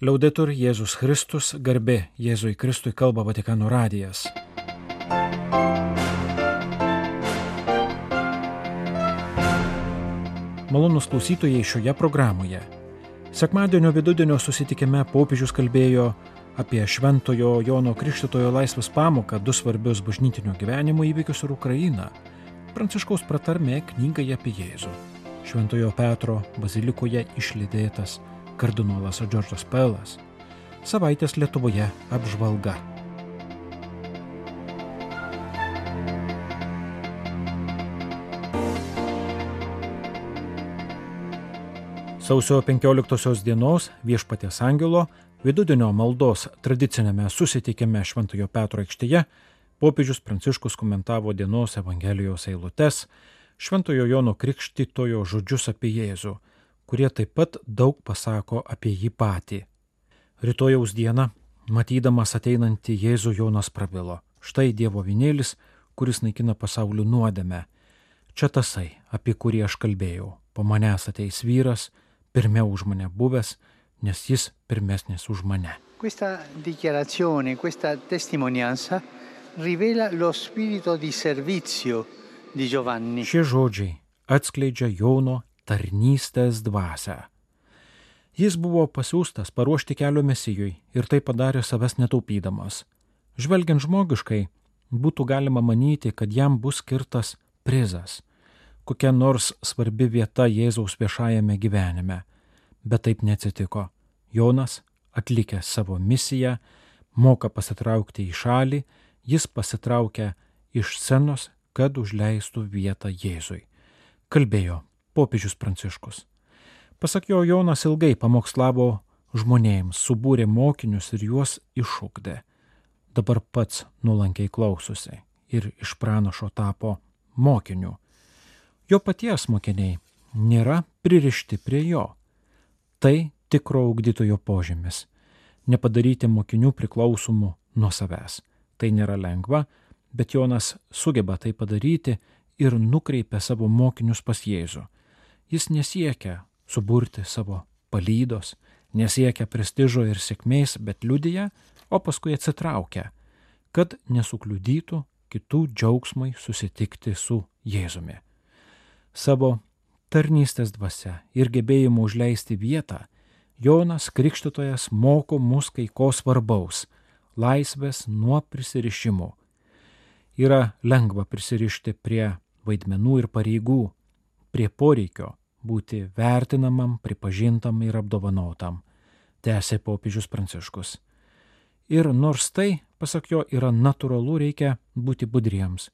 Liaudetur Jėzus Kristus, garbė Jėzui Kristui, kalba Vatikano radijas. Malonūs klausytojai šioje programoje. Sekmadienio vidudienio susitikime popiežius kalbėjo apie Šventojo Jono Krikštytojo laisvės pamoką, du svarbius bažnytinio gyvenimo įvykius ir Ukrainą. Pranciškaus pratarmė knygai apie Jėzų. Šventojo Petro bazilikoje išlydėtas kardinolas Džordžas Pelas. Savaitės Lietuvoje apžvalga. Sausio 15 dienos Viešpaties angelo vidudienio maldos tradicinėme susitikime Šventojo Petro aikštėje popiežius Pranciškus komentavo dienos Evangelijos eilutes, Šventojo Jono Krikštytojo žodžius apie Jėzų, kurie taip pat daug pasako apie jį patį. Rytojaus dieną, matydamas ateinantį Jėzų, Jonas prabilo: štai Dievo avinėlis, kuris naikina pasaulių nuodėmę. Čia tasai, apie kurį aš kalbėjau. Po manęs ateis vyras, pirmiau už mane buvęs, nes jis pirmesnis už mane. Questa dichiarazione, questa testimonianza rivela lo spirito di servizio di Giovanni. Šie žodžiai atskleidžia Jono tarnystės dvasią. Jis buvo pasiųstas paruošti kelio Mesijui ir tai padarė savęs netaupydamas. Žvelgiant žmogiškai, būtų galima manyti, kad jam bus skirtas prizas, kokia nors svarbi vieta Jėzaus viešajame gyvenime. Bet taip neatsitiko. Jonas, atlikęs savo misiją, moka pasitraukti į šalį, jis pasitraukia iš scenos, kad užleistų vietą Jėzui. Kalbėjo popiežius Pranciškus. Pasak jo, Jonas ilgai pamokslavo žmonėms, subūrė mokinius ir juos išugdė. Dabar pats nuolankiai klausosi ir iš pranašo tapo mokiniu. Jo paties mokiniai nėra pririšti prie jo. Tai tikro ugdytojo požymis – nepadaryti mokinių priklausomų nuo savęs. Tai nėra lengva, bet Jonas sugeba tai padaryti ir nukreipia savo mokinius pas Jėzų. Jis nesiekia suburti savo palydos, nesiekia prestižo ir sėkmės, bet liudija, o paskui atsitraukia, kad nesukliudytų kitų džiaugsmui susitikti su Jėzumi. Savo tarnystės dvasia ir gebėjimu užleisti vietą, Jonas Krikštytojas moko mus kai ko svarbaus – laisvės nuo prisirišimų. Yra lengva prisirišti prie vaidmenų ir pareigų, prie poreikio būti vertinamam, pripažintam ir apdovanotam, tęsė popiežius Pranciškus. Ir nors tai, pasak jo, yra natūralu, reikia būti budriems,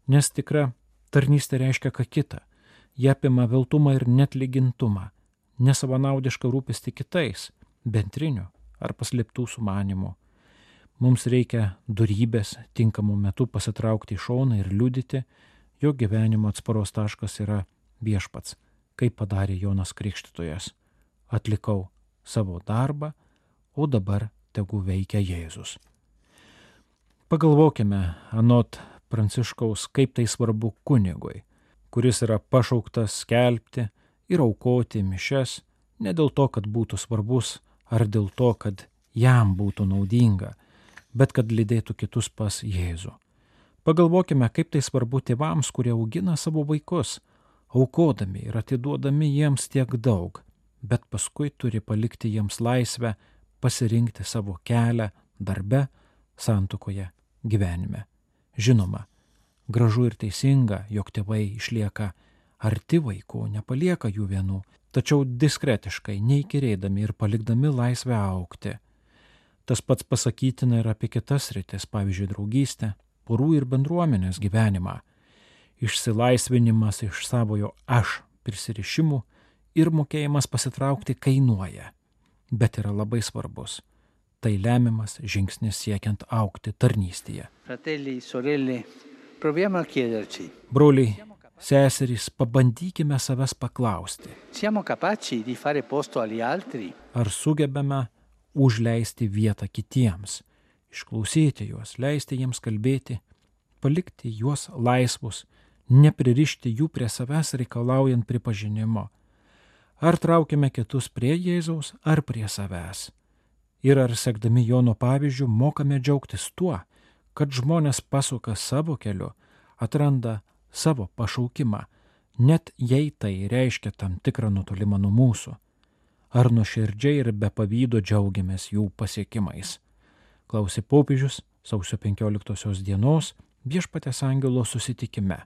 nes tikra tarnystė reiškia ką kita. Jie apima veltumą ir netlygintumą, nesavanaudišką rūpestį kitais, bendrinių ar paslėptų sumanimų. Mums reikia dorybės tinkamų metų pasitraukti į šoną ir liudyti, jo gyvenimo atsparos taškas yra Viešpats, kaip padarė Jonas Krikštytojas. Atlikau savo darbą, o dabar tegu veikia Jėzus. Pagalvokime anot Pranciškaus, kaip tai svarbu kunigui, kuris yra pašauktas skelbti ir aukoti mišias ne dėl to, kad būtų svarbus ar dėl to, kad jam būtų naudinga, bet kad lydėtų kitus pas Jėzų. Pagalvokime, kaip tai svarbu tėvams, kurie augina savo vaikus, aukodami ir atiduodami jiems tiek daug, bet paskui turi palikti jiems laisvę pasirinkti savo kelią darbe, santuokoje, gyvenime. Žinoma, gražu ir teisinga, jog tėvai išlieka arti vaikų, nepalieka jų vienų, tačiau diskretiškai, neįkyrėdami ir palikdami laisvę augti. Tas pats pasakytina ir apie kitas sritis, pavyzdžiui, draugystę, porų ir bendruomenės gyvenimą. Išsilaisvinimas iš savojo aš prisirišimų ir mokėjimas pasitraukti kainuoja, bet yra labai svarbus. Tai lemiamas žingsnis siekiant augti tarnystėje. Fratelli, sorelle, proviamo a chiederci. Broliai, seserys, pabandykime savęs paklausti. Siamo capaci di fare posto agli altri? Ar sugebame užleisti vietą kitiems, išklausyti juos, leisti jiems kalbėti, palikti juos laisvus, nepririšti jų prie savęs reikalaujant pripažinimo. Ar traukime kitus prie Jėzaus, ar prie savęs. Ir ar sekdami Jono pavyzdžių mokame džiaugtis tuo, kad žmonės pasuka savo keliu, atranda savo pašaukimą, net jei tai reiškia tam tikrą nutolimą nuo mūsų. Ar nuoširdžiai ir be pavydo džiaugiamės jų pasiekimais? Klausė popiežius sausio 15 dienos Viešpaties angelo susitikime.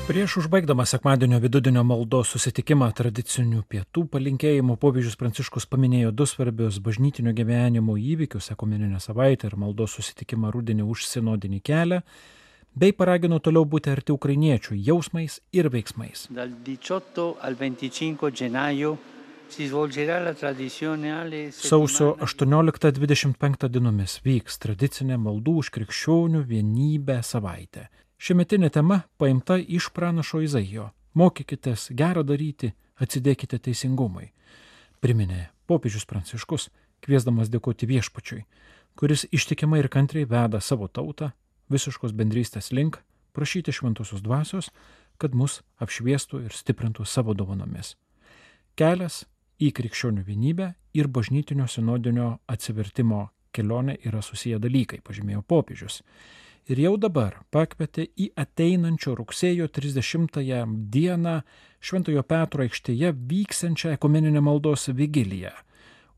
Prieš užbaigdamas sekmadienio vidudienio maldos susitikimą tradicinių pietų palinkėjimų popiežius Pranciškus paminėjo 2 svarbius bažnytinio gyvenimo įvykius - ekumeninę savaitę ir maldos susitikimą rudenį už sinodinį kelią, bei paragino toliau būti arti ukrainiečių jausmais ir veiksmais. Dal 18 al 25 gennaio si svolgerà la tradizionale Sausio 18-25 dienomis vyks tradicinė maldų už krikščionių vienybę savaitė. Šiemetinė tema paimta iš pranašo Izaijo. Mokykitės gerą daryti, atsidėkite teisingumui. Priminė popiežius Pranciškus, kviesdamas dėkoti Viešpačiui, kuris ištikimai ir kantriai veda savo tautą visiškos bendrystės link, prašyti šventosios dvasios, kad mus apšviestų ir stiprintų savo dovanomis. Kelias į krikščionių vienybę ir bažnytinio sinodinio atsivertimo kelionė yra susiję dalykai, pažymėjo popiežius. Ir jau dabar pakvietė į ateinančio rugsėjo 30 dieną Šventojo Petro aikštėje vyksiančią ekumeninę maldos vigiliją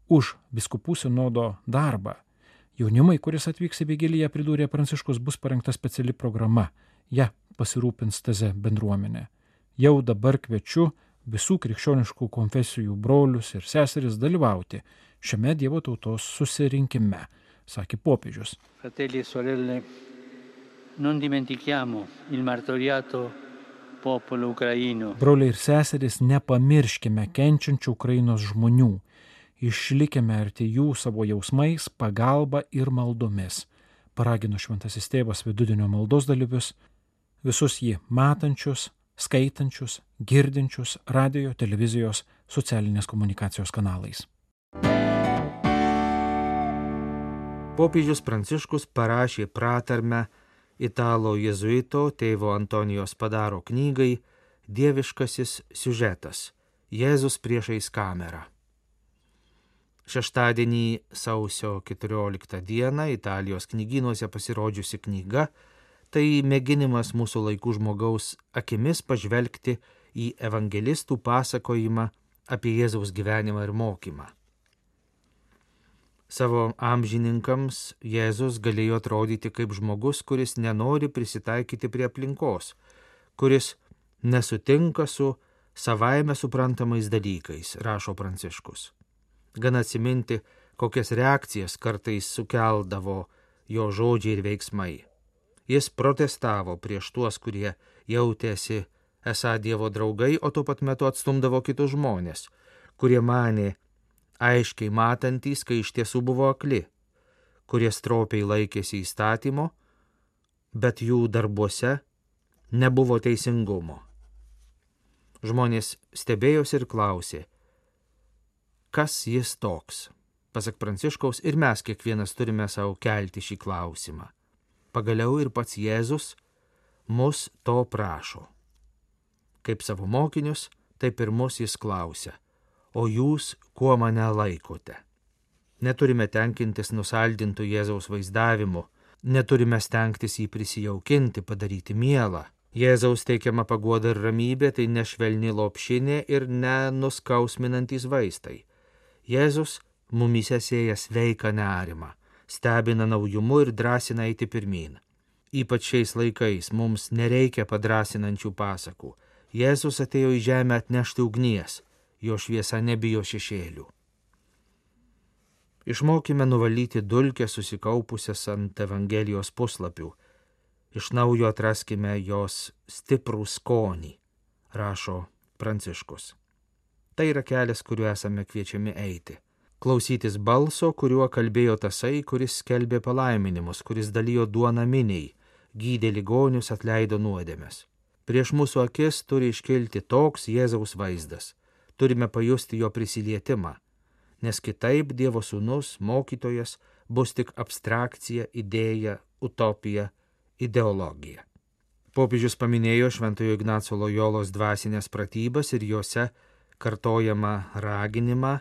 už vyskupų sinodo darbą. Jaunimui, kuris atvyks į vigiliją, pridūrė Pranciškus, bus parengta speciali programa. Ja pasirūpins TZ bendruomenė. Jau dabar kviečiu visų krikščioniškų konfesijų brolius ir seseris dalyvauti šiame Dievo tautos susirinkime, sakė popiežius. Fratelli e sorelle, non dimentichiamo il martoriato popolo ucraino. Broliai ir seserys, nepamirškime kenčiančių Ukrainos žmonių. Išlikime arti jų savo jausmais, pagalba ir maldomis. Paragino šventasis tėvas vidudienio maldos dalyvius, visus jį matančius, skaitančius, girdinčius radijo, televizijos, socialinės komunikacijos kanalais. Popiežius Pranciškus parašė pratarmę italų jėzuito tėvo Antonijos Padaro knygai Dieviškasis siužetas – Jėzus priešais kamerą. Šeštadienį sausio 14 dieną Italijos knygynuose pasirodžiusi knyga – tai mėginimas mūsų laikų žmogaus akimis pažvelgti į evangelistų pasakojimą apie Jėzaus gyvenimą ir mokymą. Savo amžininkams Jėzus galėjo atrodyti kaip žmogus, kuris nenori prisitaikyti prie aplinkos, kuris nesutinka su savaime suprantamais dalykais, rašo Pranciškus. Gana atsiminti, kokias reakcijas kartais sukeldavo jo žodžiai ir veiksmai. Jis protestavo prieš tuos, kurie jautėsi esą Dievo draugai, o tuo pat metu atstumdavo kitus žmonės, kurie manė aiškiai matantys, kai iš tiesų buvo akli, kurie stropiai laikėsi įstatymo, bet jų darbuose nebuvo teisingumo. Žmonės stebėjosi ir klausė, kas jis toks. Pasak Pranciškaus, ir mes kiekvienas turime savo kelti šį klausimą. Pagaliau ir pats Jėzus mus to prašo. Kaip savo mokinius, taip ir mus jis klausia, o jūs kuo mane laikote? Neturime tenkintis nusaldintų Jėzaus vaizdavimu, neturime stengtis jį prisijaukinti, padaryti mielą. Jėzaus teikiama paguoda ir ramybė tai nešvelni lopšinė ir nenuskausminantys vaistai. Jėzus mumyse sėja sveiką nerimą, stebina naujumu ir drąsina eiti pirmyn. Ypač šiais laikais mums nereikia padrasinančių pasakų. Jėzus atėjo į žemę atnešti ugnies, jo šviesa nebijo šešėlių. Išmokime nuvalyti dulkę susikaupusias ant Evangelijos puslapių. Iš naujo atraskime jos stiprų skonį, rašo Pranciškus. Tai yra kelias, kuriuo esame kviečiami eiti. Klausytis balso, kuriuo kalbėjo tasai, kuris skelbė palaiminimus, kuris dalijo duoną miniai, gydė ligonius, atleido nuodėmes. Prieš mūsų akis turi iškilti toks Jėzaus vaizdas. Turime pajusti jo prisilietimą, nes kitaip Dievo sūnus, mokytojas, bus tik abstrakcija, idėja, utopija, ideologija. Popiežius paminėjo Šventojo Ignaco Lojolos dvasinės pratybas ir jose kartojamą raginimą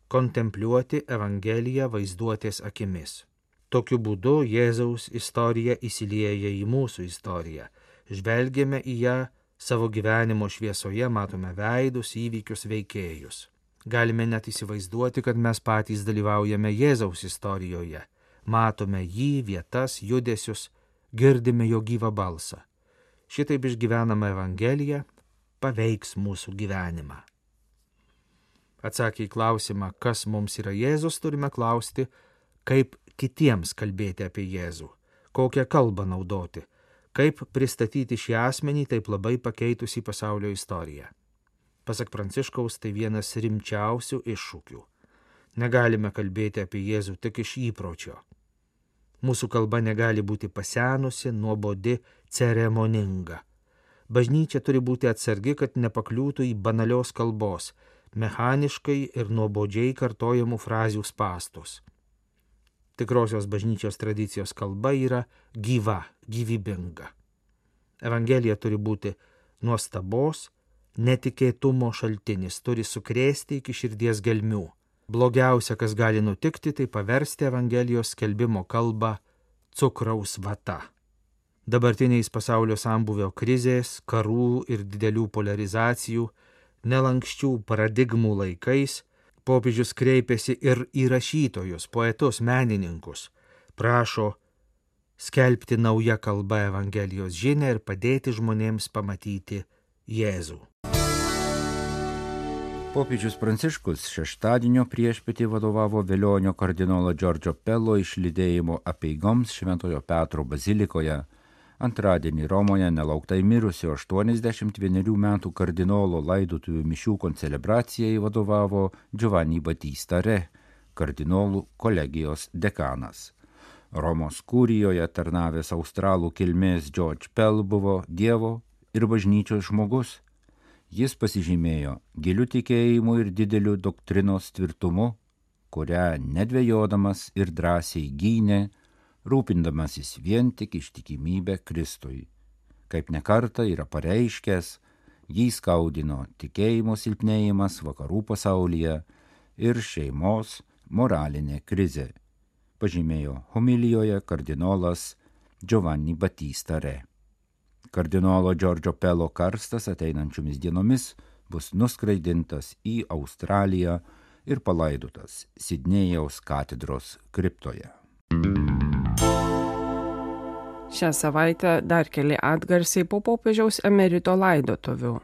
kontempliuoti Evangeliją vaizduotės akimis. Tokiu būdu Jėzaus istorija įsilieja į mūsų istoriją. Žvelgiame į ją savo gyvenimo šviesoje, matome veidus, įvykius, veikėjus. Galime net įsivaizduoti, kad mes patys dalyvaujame Jėzaus istorijoje. Matome jį, vietas, judesius, girdime jo gyvą balsą. Šitaip išgyvenama Evangelija paveiks mūsų gyvenimą. Atsakę į klausimą, kas mums yra Jėzus, turime klausti, kaip kitiems kalbėti apie Jėzų, kokią kalbą naudoti, kaip pristatyti šį asmenį taip labai pakeitusį pasaulio istoriją. Pasak Pranciškaus, tai vienas rimčiausių iššūkių. Negalime kalbėti apie Jėzų tik iš įpročio. Mūsų kalba negali būti pasenusi, nuobodi, ceremoninga. Bažnyčia turi būti atsargi, kad nepakliūtų į banalios kalbos, mechaniškai ir nuobodžiai kartojamų frazių spąstus. Tikrosios bažnyčios tradicijos kalba yra gyva, gyvybinga. Evangelija turi būti nuostabos, netikėtumo šaltinis, turi sukrėsti iki širdies gelmių. Blogiausia, kas gali nutikti, tai paversti Evangelijos skelbimo kalbą cukraus vata. Dabartiniais pasaulio sambūvio krizės, karų ir didelių polarizacijų, nelankščių paradigmų laikais popiežius kreipėsi ir į rašytojus, poetus, menininkus, prašo skelbti naują kalbą Evangelijos žinią ir padėti žmonėms pamatyti Jėzų. Popiežius Pranciškus šeštadienio priešpietį vadovavo Velionio kardinolo Giorgio Pello išlydėjimo apeigoms Šventojo Petro bazilikoje. Antradienį Romoje nelauktai mirusio 81 metų kardinolo laidotuvių mišių koncelebracijai vadovavo Giovanni Battista Re, kardinolų kolegijos dekanas. Romos kurijoje tarnavęs australų kilmės George Pell buvo Dievo ir bažnyčios žmogus. Jis pasižymėjo giliu tikėjimu ir dideliu doktrinos tvirtumu, kurią nedvejodamas ir drąsiai gynė, rūpindamasis vien tik ištikimybę Kristui. Kaip nekartą yra pareiškęs, jį skaudino tikėjimo silpnėjimas vakarų pasaulyje ir šeimos moralinė krizė, pažymėjo homilijoje kardinolas Giovanni Battista Re. Kardinolo Giorgio Pello karstas ateinančiomis dienomis bus nuskraidintas į Australiją ir palaidotas Sidnėjaus katedros kriptoje. Šią savaitę dar keli atgarsiai po popiežiaus emerito laidotuvių.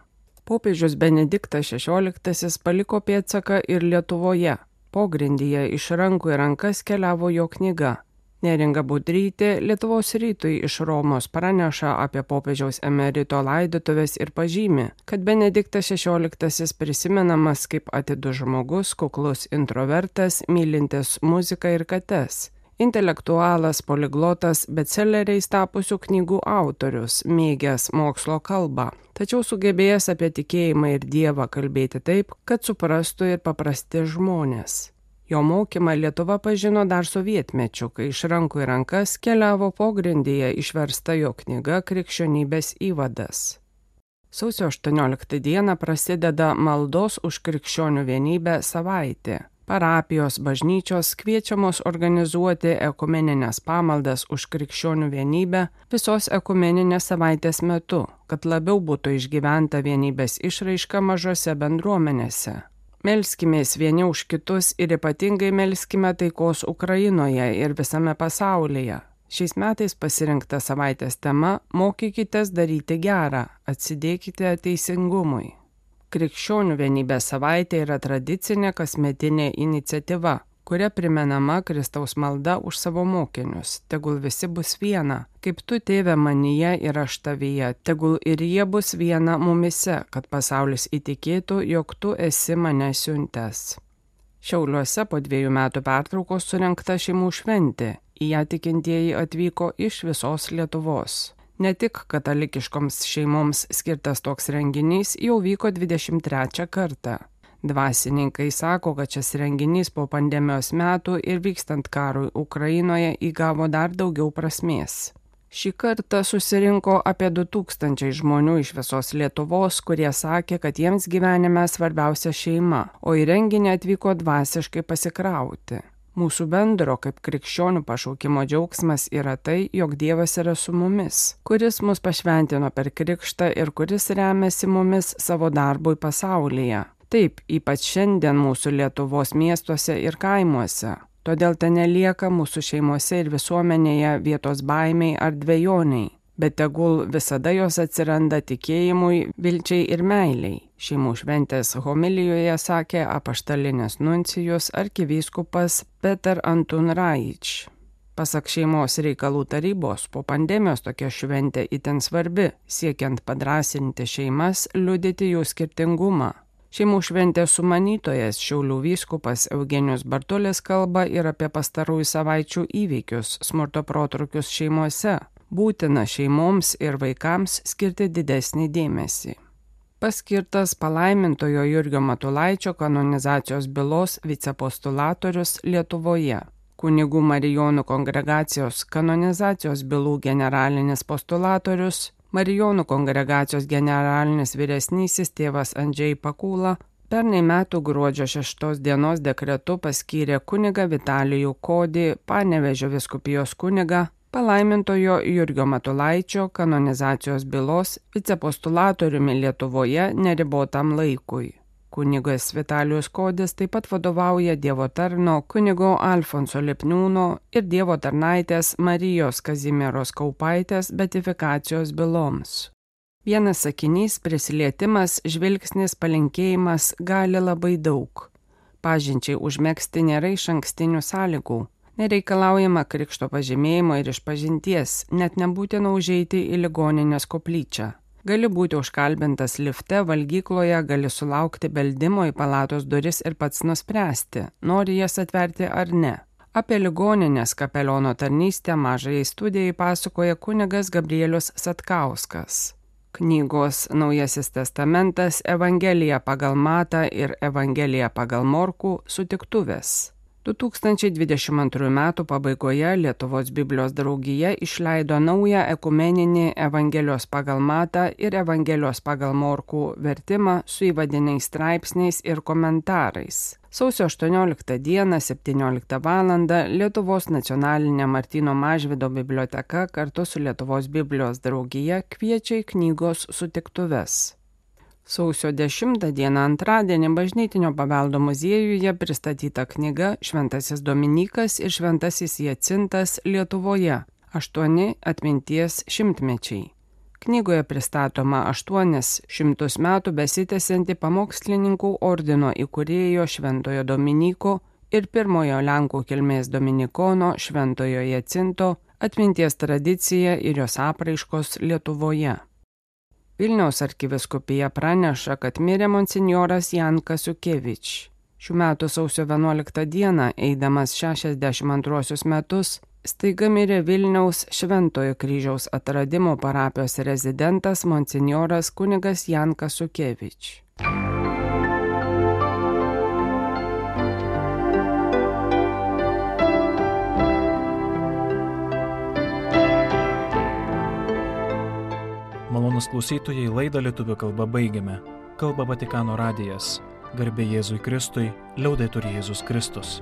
Popiežius Benediktas XVI paliko pėdsaką ir Lietuvoje. Pogrindyje iš rankų į rankas keliavo jo knyga. Neringa Budrytė Lietuvos rytui iš Romos praneša apie popiežiaus emerito laidotuvės ir pažymi, kad Benediktas XVI prisimenamas kaip atidus žmogus, kuklus introvertas, mylintis muziką ir kates. Intelektualas, poliglotas, bestseleriais tapusių knygų autorius, mėgęs mokslo kalbą, tačiau sugebėjęs apie tikėjimą ir Dievą kalbėti taip, kad suprastų ir paprasti žmonės. Jo mokymą Lietuva pažino dar sovietmečiu, kai iš rankų į rankas keliavo pogrindyje išversta jo knyga Krikščionybės įvadas. Sausio 18 dieną prasideda maldos už krikščionių vienybę savaitė. Parapijos bažnyčios kviečiamos organizuoti ekumeninės pamaldas už krikščionių vienybę visos ekumeninės savaitės metu, kad labiau būtų išgyventa vienybės išraiška mažose bendruomenėse. Melskimės vieni už kitus ir ypatingai melskime taikos Ukrainoje ir visame pasaulyje. Šiais metais pasirinkta savaitės tema Mokykitės daryti gerą, atsidėkite teisingumui. Krikščionių vienybės savaitė yra tradicinė kasmetinė iniciatyva, kuria primenama Kristaus malda už savo mokinius. Tegul visi bus viena, kaip tu, Tėve, manyje ir aš tavyje, tegul ir jie bus viena mumise, kad pasaulis įtikėtų, jog tu esi mane siuntęs. Šiauliuose po 2 metų pertraukos surengta šeimų šventė, į ją tikintieji atvyko iš visos Lietuvos. Ne tik katalikiškoms šeimoms skirtas toks renginys jau vyko 23 kartą. Dvasininkai sako, kad šis renginys po pandemijos metų ir vykstant karui Ukrainoje įgavo dar daugiau prasmės. Šį kartą susirinko apie 2000 žmonių iš visos Lietuvos, kurie sakė, kad jiems gyvenime svarbiausia šeima, o į renginį atvyko dvasiškai pasikrauti. Mūsų bendro kaip krikščionių pašaukimo džiaugsmas yra tai, jog Dievas yra su mumis, kuris mus pašventino per krikštą ir kuris remiasi mumis savo darbui pasaulyje. Taip, ypač šiandien mūsų Lietuvos miestuose ir kaimuose. Todėl ten nelieka mūsų šeimose ir visuomenėje vietos baimiai ar dvejoniai, bet tegul visada jos atsiranda tikėjimui, vilčiai ir meiliai. Šeimų šventės homilijoje sakė apaštalinis nuncijus arkivyskupas Peter Antun Raič. Pasak šeimos reikalų tarybos, po pandemijos tokia šventė itin svarbi, siekiant padrąsinti šeimas, liudyti jų skirtingumą. Šeimų šventės sumanytojas Šiaulių vyskupas Eugenijus Bartulis kalba ir apie pastarųjų savaičių įvykius, smurto protrukius šeimose. Būtina šeimoms ir vaikams skirti didesnį dėmesį. Paskirtas palaimintojo Jurgio Matulaičio kanonizacijos bylos vicepostulatorius Lietuvoje. Kunigų Marijonų kongregacijos kanonizacijos bylų generalinis postulatorius, Marijonų kongregacijos generalinis vyresnysis tėvas Andžej Pakūla pernai metų gruodžio 6 dienos dekretu paskyrė kunigą Vitalijų Kodį, Panevėžio vyskupijos kunigą, palaimintojo Jurgio Matulaičio kanonizacijos bylos vicepostulatoriumi Lietuvoje neribotam laikui. Kunigas Vitalijus Kodis taip pat vadovauja Dievo tarno kunigo Alfonso Lipniūno ir Dievo tarnaitės Marijos Kazimieros Kaupaitės beatifikacijos byloms. Vienas sakinys, prisilietimas, žvilgsnis, palinkėjimas gali labai daug. Pažinčiai užmegzti nėra išankstinių sąlygų. Nereikalaujama krikšto pažymėjimo ir išpažinties, net nebūtina užeiti į ligoninės koplyčią. Gali būti užkalbintas lifte, valgykloje, gali sulaukti beldimo į palatos duris ir pats nuspręsti, nori jas atverti ar ne. Apie ligoninės kapeliono tarnystę mažajai studijai pasakoja kunigas Gabrielius Satkauskas. Knygos Naujasis testamentas, Evangelija pagal Matą ir Evangelija pagal Morkų sutiktuvės. 2022 m. pabaigoje Lietuvos Biblijos draugija išleido naują ekumeninį Evangelijos pagal Matą ir Evangelijos pagal Morkų vertimą su įvadiniais straipsniais ir komentarais. Sausio 18 dieną 17 val. Lietuvos nacionalinė Martyno Mažvydo biblioteka kartu su Lietuvos Biblijos draugija kviečia į knygos sutiktuves. Sausio 10 dieną antradienį Bažnytinio paveldo muziejuje pristatyta knyga Šventasis Dominykas ir Šventasis Jacintas Lietuvoje – 8 atminties šimtmečiai. Knygoje pristatoma 800 metų besitęsianti pamokslininkų ordino įkūrėjo Šventojo Dominyko ir pirmojo Lenkų kilmės dominikono Šventojo Jacinto atminties tradicija ir jos apraiškos Lietuvoje. Vilniaus arkivyskupija praneša, kad mirė monsinjoras Jankas Ukevič. Šių metų sausio 11 dieną, eidamas 62 metus, staiga mirė Vilniaus Šventojo kryžiaus atradimo parapijos rezidentas monsinjoras kunigas Jankas Ukevič. Malonūs klausytojai, laidą lietuvių kalba baigiame. Kalba Vatikano radijas. Garbė Jėzui Kristui, liaudetur Jėzus Kristus.